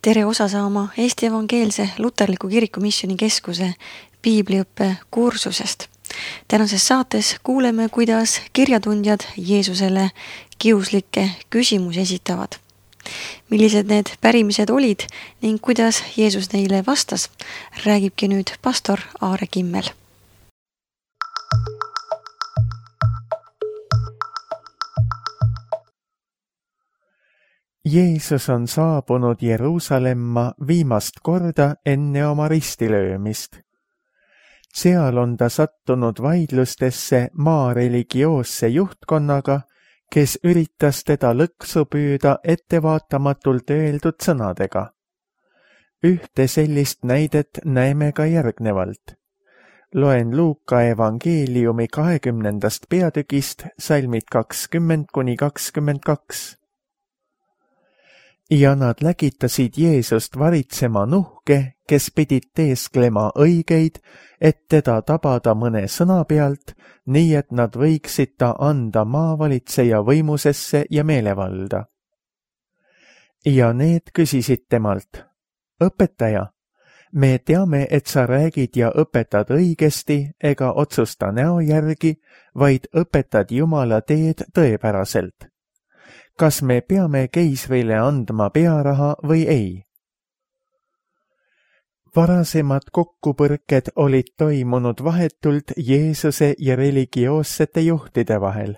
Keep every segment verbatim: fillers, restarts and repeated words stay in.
tere osa saama Eesti Evangeelse Luterliku Kiriku Missioni Keskuse piibliõppe kursusest. Tänases saates kuuleme, kuidas kirjatundjad Jeesusele kiuslikke küsimusi esitavad. Millised need pärimised olid ning kuidas Jeesus neile vastas, räägibki nüüd pastor Aare Kimmel. Jeesus on saabunud Jeruusalemma viimast korda enne oma ristilöömist. Seal on ta sattunud vaidlustesse maa religioosse juhtkonnaga, kes üritas teda lõksu püüda ettevaatamatult öeldud sõnadega. Ühte sellist näidet näeme ka järgnevalt. Loen Luuka evangeeliumi kahekümnendast peatükist salmid kakskümmend kuni kakskümmend kaks. Ja nad lägitasid Jeesust varitsema nuhke, kes pidid teesklema õigeid, et teda tabada mõne sõna pealt, nii et nad võiksid ta anda maavalitseja võimusesse ja meelevalda. Ja need küsisid temalt, õpetaja, me teame, et sa räägid ja õpetad õigesti ega otsusta näo järgi, vaid õpetad Jumala teed tõepäraselt. Kas me peame keisrile andma pearaha või ei? Varasemad kokkupõrked olid toimunud vahetult Jeesuse ja religioossete juhtide vahel.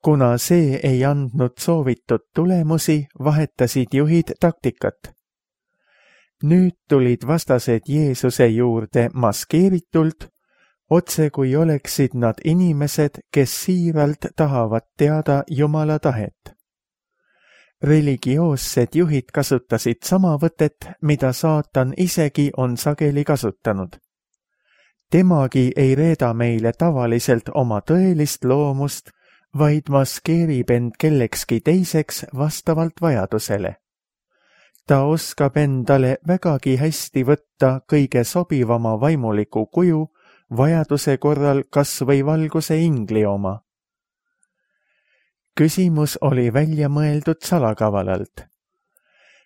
Kuna see ei andnud soovitud tulemusi, vahetasid juhid taktikat. Nüüd tulid vastased Jeesuse juurde maskeeritult, otse kui oleksid nad inimesed, kes siiralt tahavad teada Jumala tahet. Religioossed juhid kasutasid sama võtet, mida saatan isegi on sageli kasutanud. Temagi ei reeda meile tavaliselt oma tõelist loomust, vaid maskeerib end kellekski teiseks vastavalt vajadusele. Ta oskab endale vägagi hästi võtta kõige sobivama vaimuliku kuju, vajaduse korral kas või valguse ingli oma. Küsimus oli välja mõeldud salakavalalt.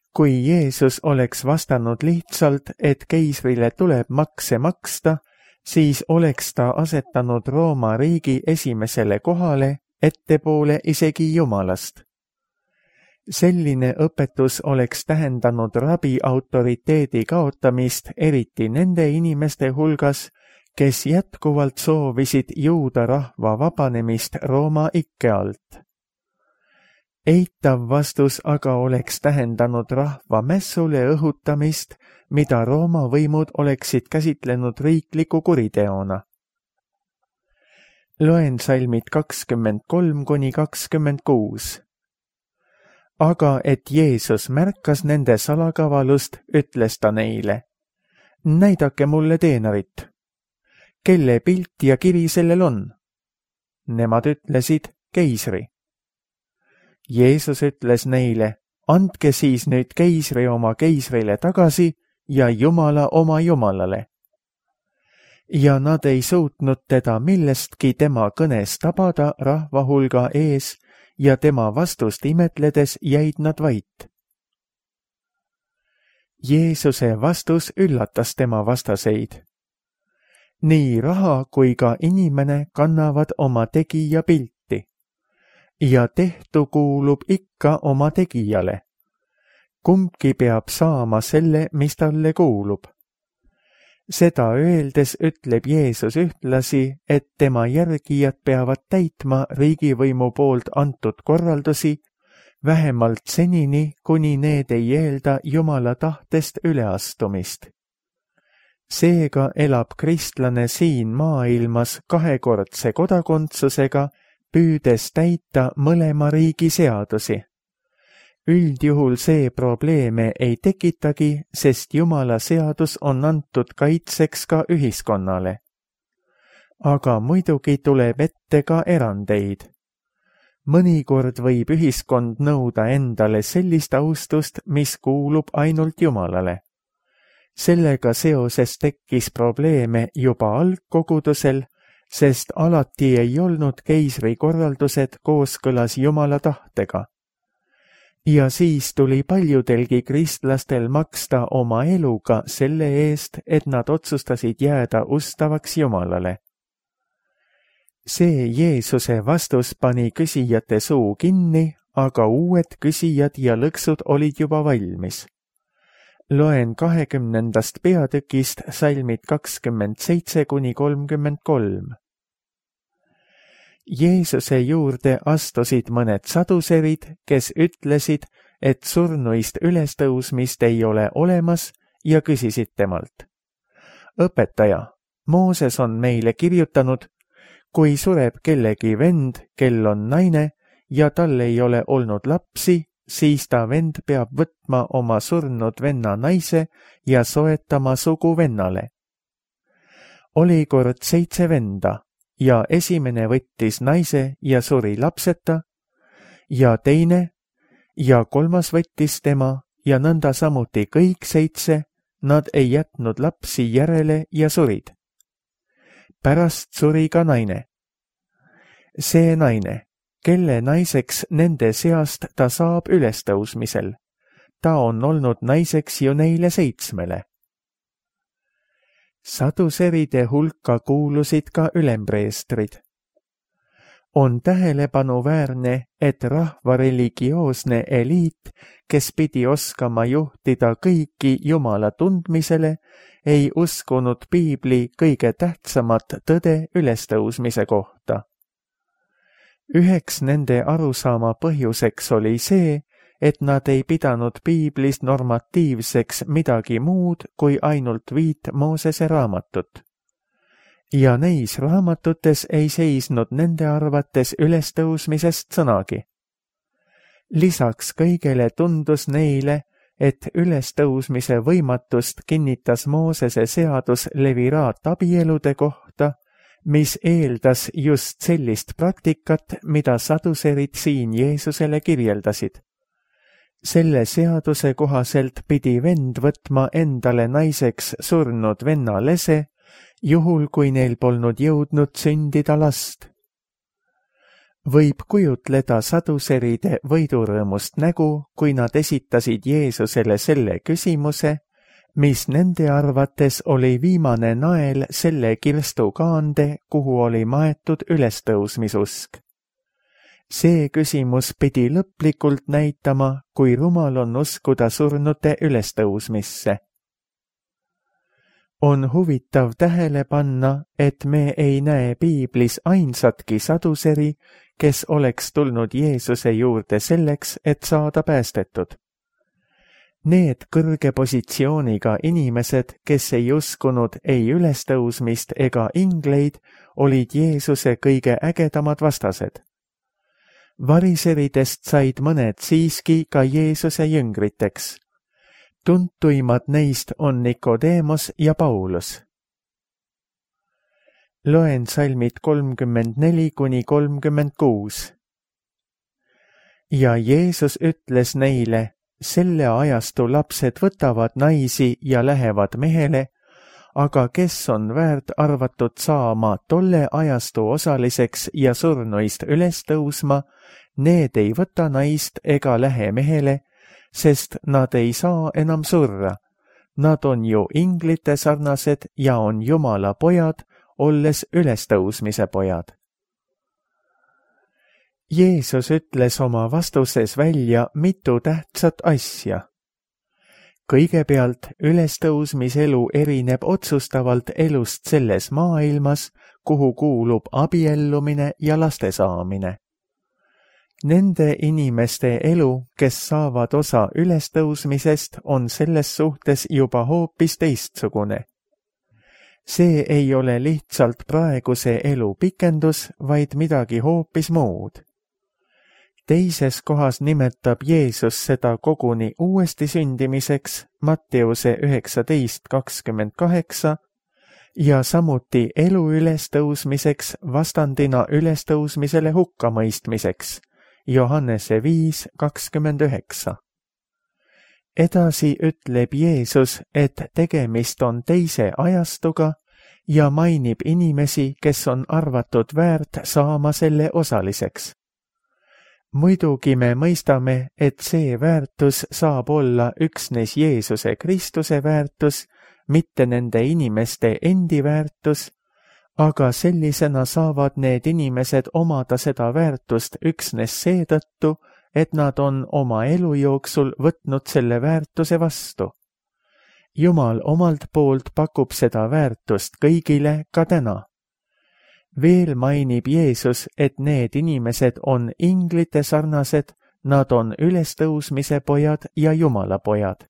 Kui Jeesus oleks vastanud lihtsalt, et keisrile tuleb makse maksta, siis oleks ta asetanud Rooma riigi esimesele kohale, ettepoole isegi Jumalast. Selline õpetus oleks tähendanud rabi autoriteedi kaotamist eriti nende inimeste hulgas, kes jätkuvalt soovisid juuda rahva vabanemist Rooma ikke alt. Eitav vastus aga oleks tähendanud rahva mässule õhutamist, mida Rooma võimud oleksid käsitlenud riikliku kuriteona. Loen salmid kakskümmend kolm kuni kakskümmend kuus. Aga et Jeesus märkas nende salakavalust, ütles ta neile, näidake mulle teenarit. Kelle pilt ja kiri sellel on? Nemad ütlesid, keisri. Jeesus ütles neile, andke siis nüüd keisri oma keisrile tagasi ja Jumala oma Jumalale. Ja nad ei suutnud teda millestki tema kõnes tabada rahva hulga ees ja tema vastust imetledes jäid nad vait. Jeesuse vastus üllatas tema vastaseid. Nii raha kui ka inimene kannavad oma tegija pilti. Ja tehtu kuulub ikka oma tegijale. Kumbki peab saama selle, mis talle kuulub. Seda öeldes ütleb Jeesus ühtlasi, et tema järgijad peavad täitma riigivõimu poolt antud korraldusi, vähemalt senini, kuni need ei eelda Jumala tahtest üleastumist. Seega elab kristlane siin maailmas kahekordse kodakondsusega, püüdes täita mõlema riigi seadusi. Üldjuhul see probleeme ei tekitagi, sest Jumala seadus on antud kaitseks ka ühiskonnale. Aga muidugi tuleb ette ka erandeid. Mõnikord võib ühiskond nõuda endale sellist austust, mis kuulub ainult Jumalale. Sellega seoses tekkis probleeme juba algkogudusel, sest alati ei olnud keisri korraldused kooskõlas Jumala tahtega. ja siis tuli paljudelgi kristlastel maksta oma eluga selle eest, et nad otsustasid jääda ustavaks Jumalale. See Jeesuse vastus pani küsijate suu kinni, aga uued küsijad ja lõksud olid juba valmis. Loen kahekümnendast peatükist salmid kakskümmend seitse kuni kolmkümmend kolm. Jeesuse juurde astusid mõned saduserid, kes ütlesid, et surnuist ülestõusmist ei ole olemas ja küsisid temalt. Õpetaja, Mooses on meile kirjutanud, kui sureb kellegi vend, kel on naine ja tal ei ole olnud lapsi, siis ta vend peab võtma oma surnud venna naise ja soetama sugu vennale. Oli kord seitse venda ja esimene võttis naise ja suri lapseta ja teine ja kolmas võttis tema ja nõnda samuti kõik seitse, nad ei jätnud lapsi järele ja surid. Pärast suri ka naine. See naine, kelle naiseks nende seast ta saab ülestõusmisel. Ta on olnud naiseks ju neile seitsmele. Saduseride hulka kuulusid ka ülempreestrid. On tähelepanuväärne, et rahva religioosne eliit, kes pidi oskama juhtida kõiki Jumala tundmisele, ei uskunud piibli kõige tähtsamat tõde ülestõusmise kohta. Üheks nende arusaama põhjuseks oli see, et nad ei pidanud piiblist normatiivseks midagi muud kui ainult viit Moosese raamatut. Ja neis raamatutes ei seisnud nende arvates ülestõusmisest sõnagi. Lisaks kõigele tundus neile, et ülestõusmise võimatust kinnitas Moosese seadus leviraat abielude kohta, mis eeldas just sellist praktikat, mida saduserid siin Jeesusele kirjeldasid. Selle seaduse kohaselt pidi vend võtma endale naiseks surnud venna lese, juhul kui neil polnud jõudnud sündida last. Võib kujutleda saduseride võidurõõmust nägu, kui nad esitasid Jeesusele selle küsimuse, mis nende arvates oli viimane nael selle kirstukaande, kuhu oli maetud ülestõusmisusk. See küsimus pidi lõplikult näitama, kui rumal on uskuda surnute ülestõusmisse. On huvitav tähele panna, et me ei näe piiblis ainsatki saduseri, kes oleks tulnud Jeesuse juurde selleks, et saada päästetud. Need kõrge positsiooniga inimesed, kes ei uskunud ei ülestõusmist ega ingleid, olid Jeesuse kõige ägedamad vastased. Variseridest said mõned siiski ka Jeesuse jüngriteks. Tuntuimad neist on Nikodeemos ja Paulus. Loen salmid kolmkümmend neli kuni kolmkümmend kuus. Ja Jeesus ütles neile, selle ajastu lapsed võtavad naisi ja lähevad mehele, aga kes on väärt arvatud saama tolle ajastu osaliseks ja surnuist üles tõusma, need ei võta naist ega lähe mehele, sest nad ei saa enam surra. Nad on ju inglite sarnased ja on Jumala pojad, olles ülestõusmise pojad. Jeesus ütles oma vastuses välja mitu tähtsat asja. Kõigepealt ülestõusmiselu erineb otsustavalt elust selles maailmas, kuhu kuulub abiellumine ja laste saamine. Nende inimeste elu, kes saavad osa ülestõusmisest, on selles suhtes juba hoopis teistsugune. See ei ole lihtsalt praeguse elu pikendus, vaid midagi hoopis muud. Teises kohas nimetab Jeesus seda koguni uuesti sündimiseks, Matteuse üheksateist kakskümmend kaheksa, ja samuti elu ülestõusmiseks vastandina ülestõusmisele hukkamõistmiseks, Johannese viis kakskümmend üheksa. Edasi ütleb Jeesus, et tegemist on teise ajastuga ja mainib inimesi, kes on arvatud väärt saama selle osaliseks. muidugi me mõistame, et see väärtus saab olla üksnes Jeesuse Kristuse väärtus, mitte nende inimeste endi väärtus, aga sellisena saavad need inimesed omada seda väärtust üksnes seetõttu, et nad on oma elu jooksul võtnud selle väärtuse vastu. Jumal omalt poolt pakub seda väärtust kõigile ka täna. Veel mainib Jeesus, et need inimesed on inglite sarnased, nad on ülestõusmise pojad ja Jumala pojad.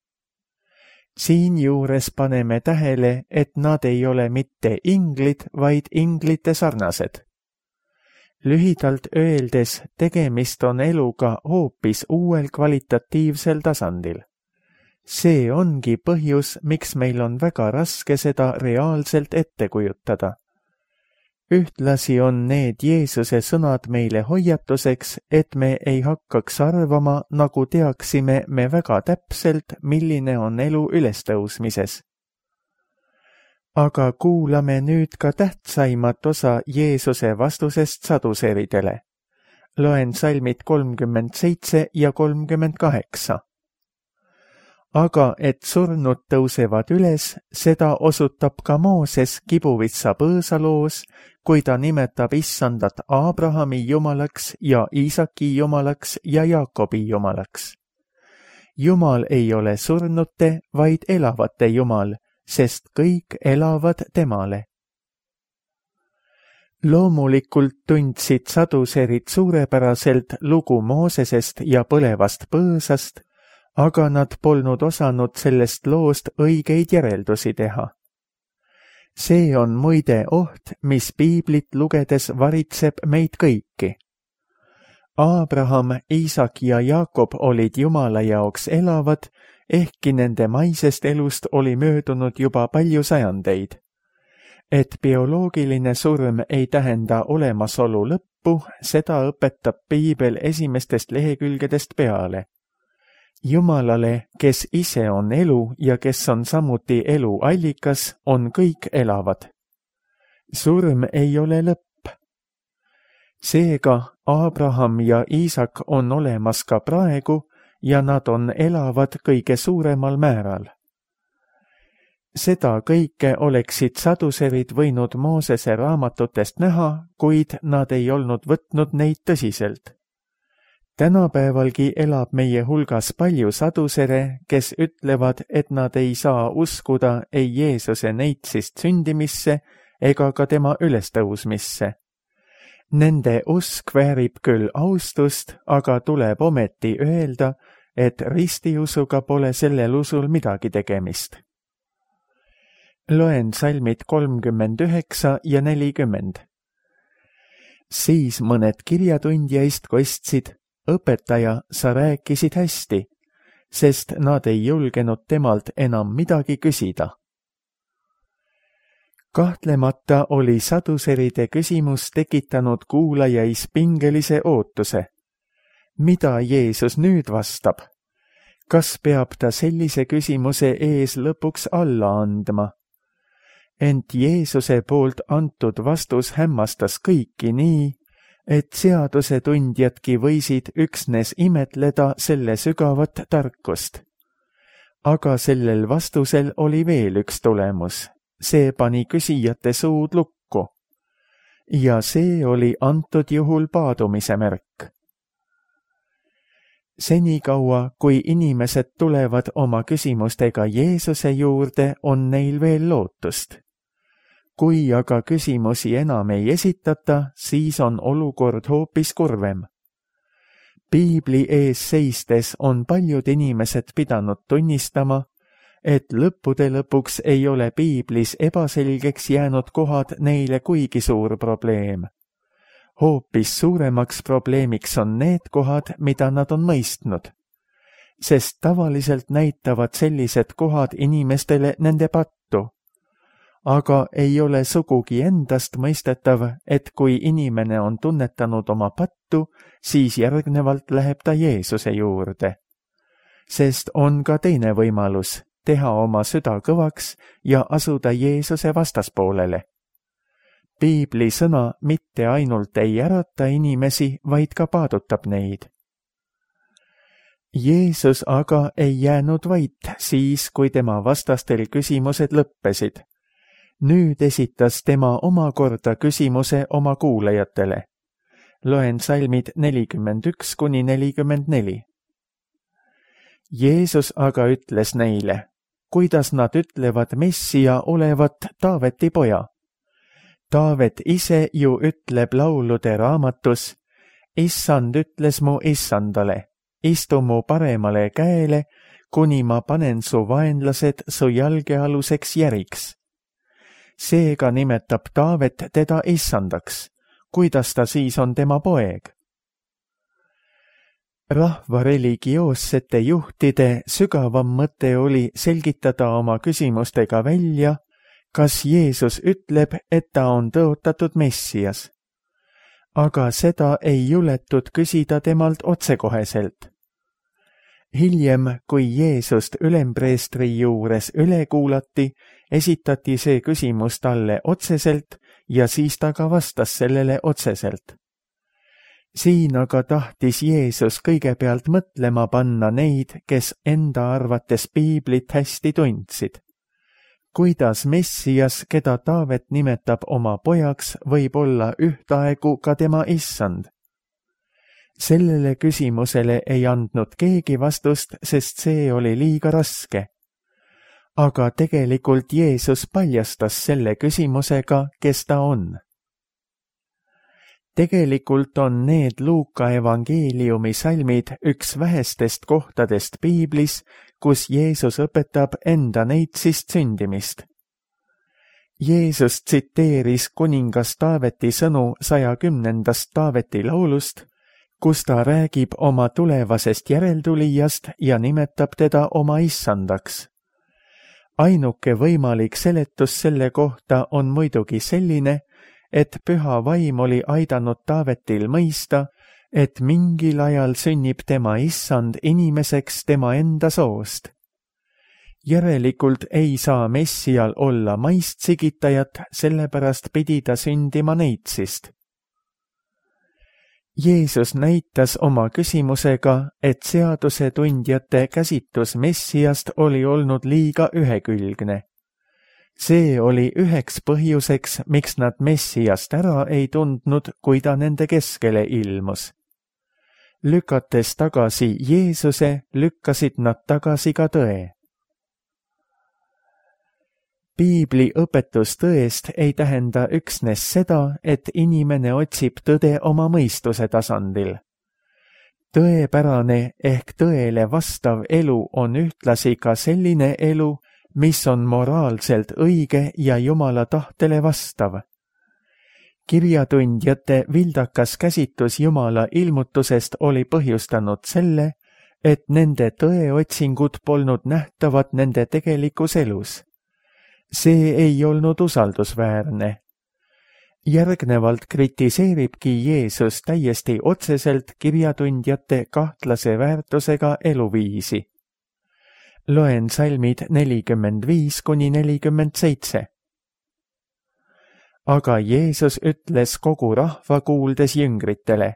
Siinjuures paneme tähele, et nad ei ole mitte inglid, vaid inglite sarnased. Lühidalt öeldes, tegemist on eluga hoopis uuel kvalitatiivsel tasandil. See ongi põhjus, miks meil on väga raske seda reaalselt ette kujutada. Ühtlasi on need Jeesuse sõnad meile hoiatuseks, et me ei hakkaks arvama, nagu teaksime me väga täpselt, milline on elu ülestõusmises. Aga kuulame nüüd ka tähtsaimat osa Jeesuse vastusest saduseridele. Loen salmid kolmkümmend seitse ja kolmkümmend kaheksa. Aga et surnud tõusevad üles, seda osutab ka Mooses Kibuvitsa põõsaloos, kui ta nimetab issandat Abrahami jumalaks ja Iisaki jumalaks ja Jaakobi jumalaks. Jumal ei ole surnute, vaid elavate Jumal, sest kõik elavad temale. Loomulikult tundsid saduserid suurepäraselt lugu Moosesest ja põlevast põõsast, aga nad polnud osanud sellest loost õigeid järeldusi teha. See on muide oht, mis piiblit lugedes varitseb meid kõiki. Abraham, Iisak ja Jaakob olid Jumala jaoks elavad, ehkki nende maisest elust oli möödunud juba palju sajandeid. Et bioloogiline surm ei tähenda olemasolu lõppu, seda õpetab piibel esimestest lehekülgedest peale. Jumalale, kes ise on elu ja kes on samuti elu allikas, on kõik elavad. Surm ei ole lõpp. Seega Abraham ja Iisak on olemas ka praegu ja nad on elavad kõige suuremal määral. Seda kõike oleksid saduserid võinud Moosese raamatutest näha, kuid nad ei olnud võtnud neid tõsiselt. Tänapäevalgi elab meie hulgas palju sadusere, kes ütlevad, et nad ei saa uskuda ei Jeesuse neitsist sündimisse ega ka tema ülestõusmisse. Nende usk väärib küll austust, aga tuleb ometi öelda, et ristiusuga pole sellel usul midagi tegemist. Loen salmid kolmkümmend üheksa ja nelikümmend. Siis mõned kirjatundjaist kostsid, õpetaja, sa rääkisid hästi, sest nad ei julgenud temalt enam midagi küsida. Kahtlemata oli saduseride küsimus tekitanud kuulajais pingelise ootuse. Mida Jeesus nüüd vastab? Kas peab ta sellise küsimuse ees lõpuks alla andma? Ent Jeesuse poolt antud vastus hämmastas kõiki nii, et seadusetundjadki võisid üksnes imetleda selle sügavat tarkust. Aga sellel vastusel oli veel üks tulemus. See pani küsijate suud lukku. Ja see oli antud juhul paadumise märk. Senikaua, kui inimesed tulevad oma küsimustega Jeesuse juurde, on neil veel lootust. Kui aga küsimusi enam ei esitata, siis on olukord hoopis kurvem. Piibli ees seistes on paljud inimesed pidanud tunnistama, et lõppude lõpuks ei ole piiblis ebaselgeks jäänud kohad neile kuigi suur probleem. Hoopis suuremaks probleemiks on need kohad, mida nad on mõistnud, sest tavaliselt näitavad sellised kohad inimestele nende pattu. Aga ei ole sugugi endast mõistetav, et kui inimene on tunnetanud oma pattu, siis järgnevalt läheb ta Jeesuse juurde. Sest on ka teine võimalus, teha oma süda kõvaks ja asuda Jeesuse vastaspoolele. piibli sõna mitte ainult ei ärata inimesi, vaid ka paadutab neid. Jeesus aga ei jäänud vait siis, kui tema vastastel küsimused lõppesid. Nüüd esitas tema omakorda küsimuse oma kuulajatele. Loen salmid nelikümmend üks kuni nelikümmend neli. Jeesus aga ütles neile, kuidas nad ütlevad Messija olevat Taaveti poja. Taavet ise ju ütleb laulude raamatus, Issand ütles mu issandale, istu mu paremale käele, kuni ma panen su vaenlased su jalgealuseks järiks. Seega nimetab Taavet teda issandaks, kuidas ta siis on tema poeg? Rahva religioossete juhtide sügavam mõte oli selgitada oma küsimustega välja, kas Jeesus ütleb, et ta on tõotatud Messias. Aga seda ei juletud küsida temalt otsekoheselt. Hiljem, kui Jeesust ülempreestri juures üle kuulati, esitati see küsimus talle otseselt ja siis ta ka vastas sellele otseselt. Siin aga tahtis Jeesus kõigepealt mõtlema panna neid, kes enda arvates piiblit hästi tundsid. Kuidas Messias, keda Taavet nimetab oma pojaks, võib olla ühtaegu ka tema issand? Sellele küsimusele ei andnud keegi vastust, sest see oli liiga raske. Aga tegelikult Jeesus paljastas selle küsimusega, kes ta on. Tegelikult on need Luuka evangeeliumi salmid üks vähestest kohtadest piiblis, kus Jeesus õpetab enda neitsist sündimist. Jeesus tsiteeris kuningas Taaveti sõnu saja kümnendast Taaveti laulust, kus ta räägib oma tulevasest järeltulijast ja nimetab teda oma issandaks. Ainuke võimalik seletus selle kohta on muidugi selline, et püha vaim oli aidanud Taavetil mõista, et mingil ajal sünnib tema issand inimeseks tema enda soost. Järelikult ei saa Messial olla maist sigitajat, sellepärast pidi ta sündima neitsist. Jeesus näitas oma küsimusega, et seadusetundjate käsitlus Messiast oli olnud liiga ühekülgne. See oli üheks põhjuseks, miks nad Messiast ära ei tundnud, kui ta nende keskele ilmus. Lükates tagasi Jeesuse, lükkasid nad tagasi ka tõe. Piibli õpetus tõest ei tähenda üksnes seda, et inimene otsib tõde oma mõistuse tasandil. Tõepärane ehk tõele vastav elu on ühtlasi ka selline elu, mis on moraalselt õige ja Jumala tahtele vastav. Kirjatundjate vildakas käsitlus Jumala ilmutusest oli põhjustanud selle, et nende tõeotsingud polnud nähtavad nende tegelikus elus. See ei olnud usaldusväärne. Järgnevalt kritiseeribki Jeesus täiesti otseselt kirjatundjate kahtlase väärtusega eluviisi. Loen salmid nelikümmend viis kuni nelikümmend seitse. Aga Jeesus ütles kogu rahva kuuldes jüngritele,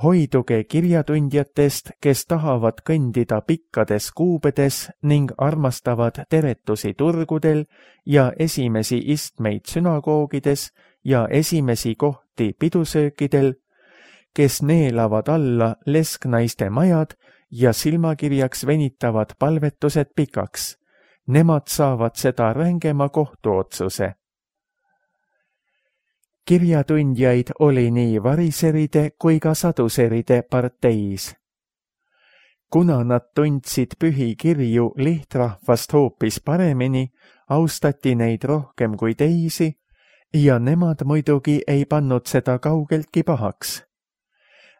hoiduge kirjatundjatest, kes tahavad kõndida pikkades kuubedes ning armastavad teretusi turgudel ja esimesi istmeid sünagoogides ja esimesi kohti pidusöökidel, kes neelavad alla lesknaiste majad ja silmakirjaks venitavad palvetused pikaks. Nemad saavad seda rängema kohtuotsuse. Kirjatundjaid oli nii variseride kui ka saduseride parteis. Kuna nad tundsid pühi kirju lihtrahvast hoopis paremini, austati neid rohkem kui teisi ja nemad muidugi ei pannud seda kaugeltki pahaks.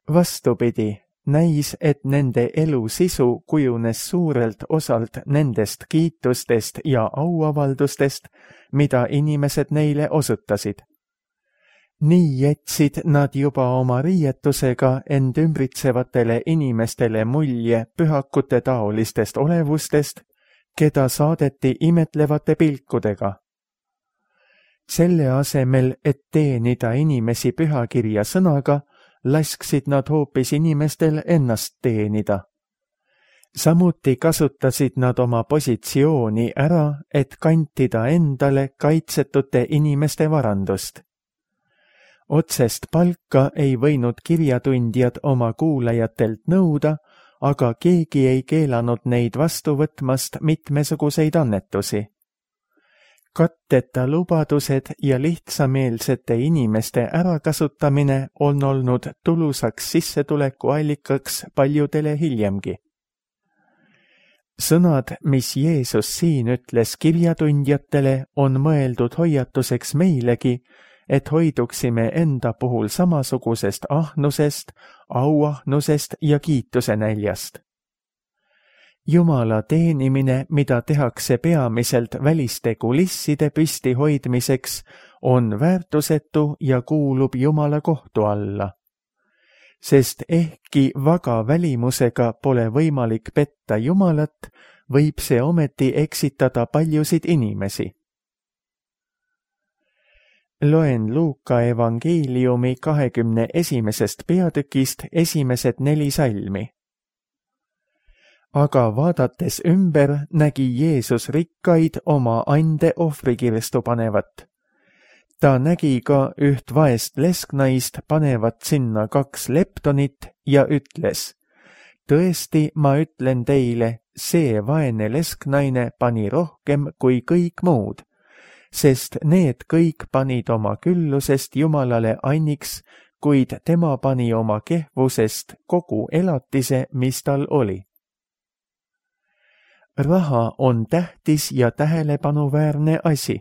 Vastupidi, näis, et nende elu sisu kujunes suurelt osalt nendest kiitustest ja auavaldustest, mida inimesed neile osutasid. Nii jätsid nad juba oma riietusega end ümbritsevatele inimestele mulje pühakute taolistest olevustest, keda saadeti imetlevate pilkudega. Selle asemel, et teenida inimesi pühakirja sõnaga, lasksid nad hoopis inimestel ennast teenida. Samuti kasutasid nad oma positsiooni ära, et kantida endale kaitsetute inimeste varandust. Otsest palka ei võinud kirjatundjad oma kuulajatelt nõuda, aga keegi ei keelanud neid vastu võtmast mitmesuguseid annetusi. Katteta lubadused ja lihtsameelsete inimeste ärakasutamine on olnud tulusaks sissetulekuallikaks paljudele hiljemgi. Sõnad, mis Jeesus siin ütles kirjatundjatele, on mõeldud hoiatuseks meilegi, et hoiduksime enda puhul samasugusest ahnusest, auahnusest ja kiituse näljast. Jumala teenimine, mida tehakse peamiselt väliste kulisside püsti hoidmiseks, on väärtusetu ja kuulub Jumala kohtu alla. Sest ehkki vaga välimusega pole võimalik petta Jumalat, võib see ometi eksitada paljusid inimesi. Loen Luuka evangeeliumi kahekümne esimesest peatükist esimesed neli salmi. Aga vaadates ümber nägi Jeesus rikkaid oma ande ohvrikirstu panevat. Ta nägi ka üht vaest lesknaist panevat sinna kaks leptonit ja ütles, tõesti, ma ütlen teile, see vaene lesknaine pani rohkem kui kõik muud, sest need kõik panid oma küllusest Jumalale anniks, kuid tema pani oma kehvusest kogu elatise, mis tal oli. Raha on tähtis ja tähelepanuväärne asi.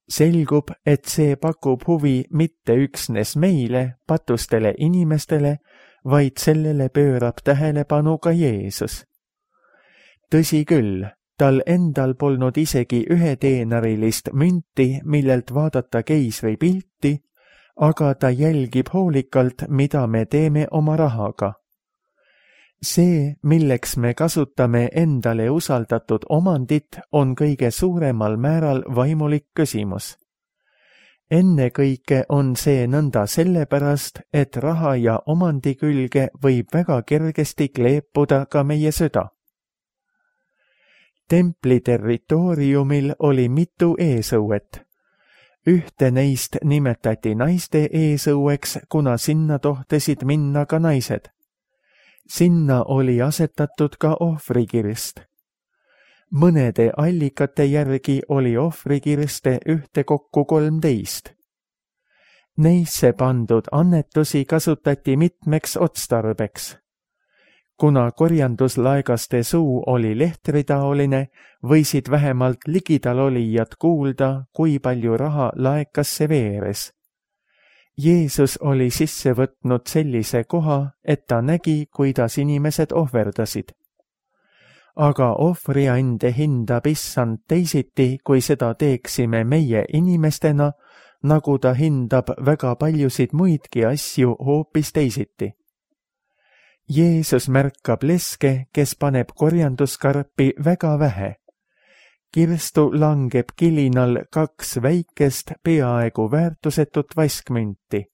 Selgub, et see pakub huvi mitte üksnes meile, patustele inimestele, vaid sellele pöörab tähelepanu ka Jeesus. Tõsi küll, tal endal polnud isegi üheteenarilist münti, millelt vaadata keisri pilti, aga ta jälgib hoolikalt, mida me teeme oma rahaga. See, milleks me kasutame endale usaldatud omandit, on kõige suuremal määral vaimulik küsimus. Ennekõike on see nõnda sellepärast, et raha ja omandi külge võib väga kergesti kleepuda ka meie süda. Templi territooriumil oli mitu eesõuet. Ühte neist nimetati naiste eesõueks, kuna sinna tohtesid minna ka naised. Sinna oli asetatud ka ohvrikirst. Mõnede allikate järgi oli ohvrikirste ühtekokku kolmteist. Neisse pandud annetusi kasutati mitmeks otstarbeks. Kuna korjanduslaegaste suu oli lehtritaoline, võisid vähemalt ligidal olijad kuulda, kui palju raha laekasse veeres. Jeesus oli sisse võtnud sellise koha, et ta nägi, kuidas inimesed ohverdasid. Aga ohvriande hindab issand teisiti, kui seda teeksime meie inimestena, nagu ta hindab väga paljusid muidki asju hoopis teisiti. Jeesus märkab leske, kes paneb korjanduskarpi väga vähe. Kirstu langeb kilinal kaks väikest, peaaegu väärtusetut vaskmünti.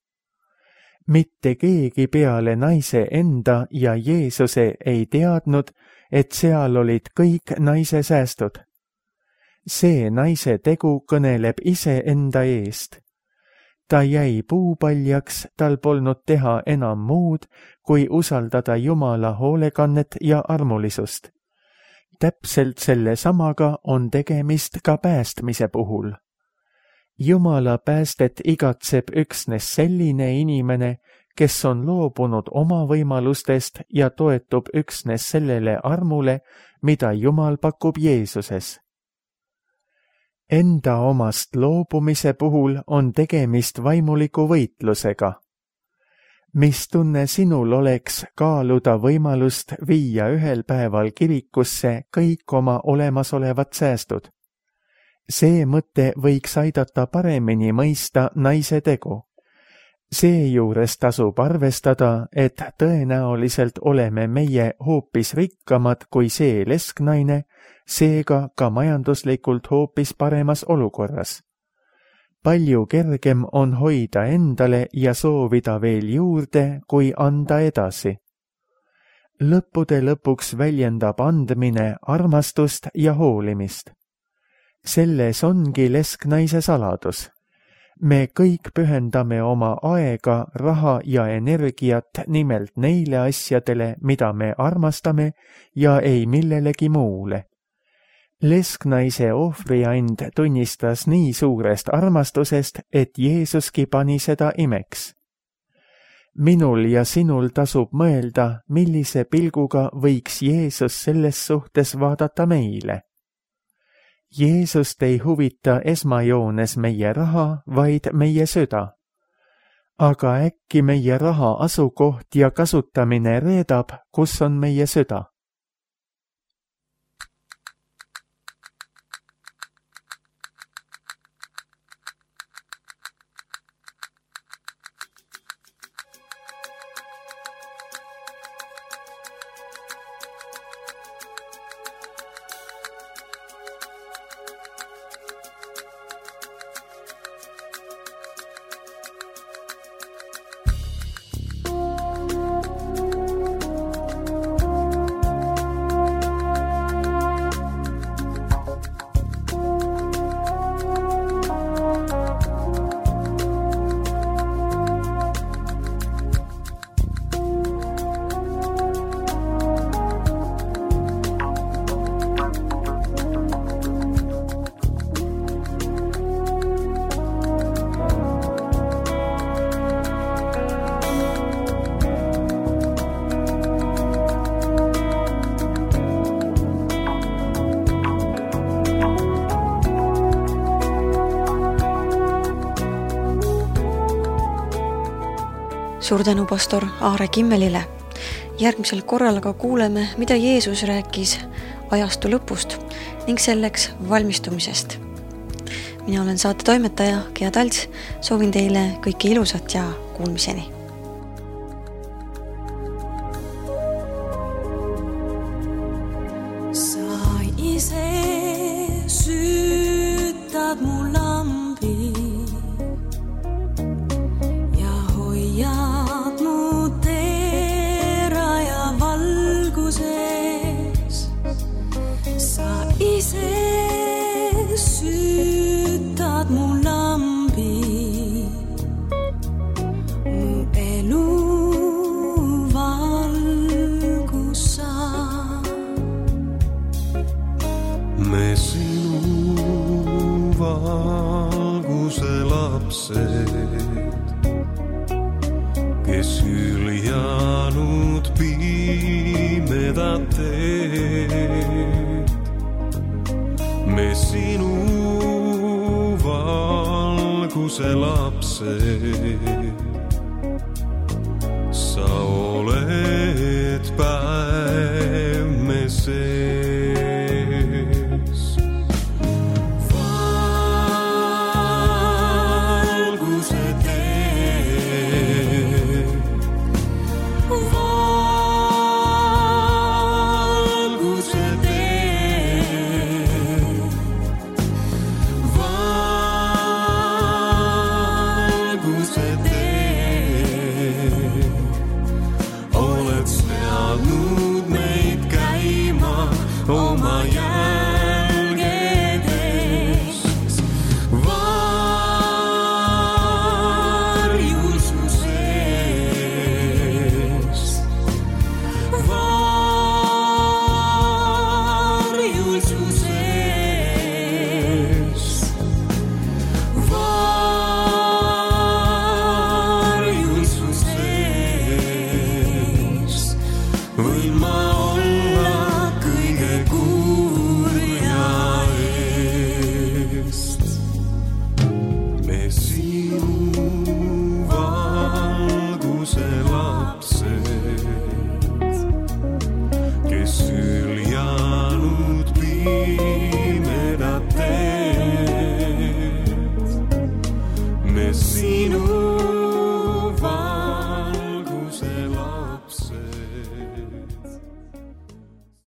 Mitte keegi peale naise enda ja Jeesuse ei teadnud, et seal olid kõik naise säästud. See naise tegu kõneleb ise enda eest. Ta jäi puupaljaks, tal polnud teha enam muud, kui usaldada Jumala hoolekannet ja armulisust. Täpselt selle samaga on tegemist ka päästmise puhul. Jumala päästet igatseb üksnes selline inimene, kes on loobunud oma võimalustest ja toetub üksnes sellele armule, mida Jumal pakub Jeesuses. Enda omast loobumise puhul on tegemist vaimuliku võitlusega. Mis tunne sinul oleks kaaluda võimalust viia ühel päeval kirikusse kõik oma olemasolevad säästud? See mõte võiks aidata paremini mõista naise tegu. Seejuures tasub arvestada, et tõenäoliselt oleme meie hoopis rikkamad kui see lesknaine, seega ka majanduslikult hoopis paremas olukorras. palju kergem on hoida endale ja soovida veel juurde, kui anda edasi. Lõppude lõpuks väljendab andmine armastust ja hoolimist. Selles ongi lesknaise saladus. Me kõik pühendame oma aega, raha ja energiat nimelt neile asjadele, mida me armastame ja ei millelegi muule. Lesknaise ohvriand tunnistas nii suurest armastusest, et Jeesuski pani seda imeks. Minul ja sinul tasub mõelda, millise pilguga võiks Jeesus selles suhtes vaadata meile. Jeesust ei huvita esmajoones meie raha, vaid meie süda. Aga äkki meie raha asukoht ja kasutamine reedab, kus on meie süda? Suur tänu pastor Aare Kimmelile. Järgmisel korral aga kuuleme, mida Jeesus rääkis ajastu lõpust ning selleks valmistumisest. Mina olen saate toimetaja Gea Talts, soovin teile kõike ilusat ja kuulmiseni. Sa ise süütad mu lambi ja hoiad mu teera ja valguses. Sa ise süütad mu lambi, mu elu valgus sa. Me sinu valguse lapsed, kes hüljanud pimedat teed. Me sinu valguse lapsed,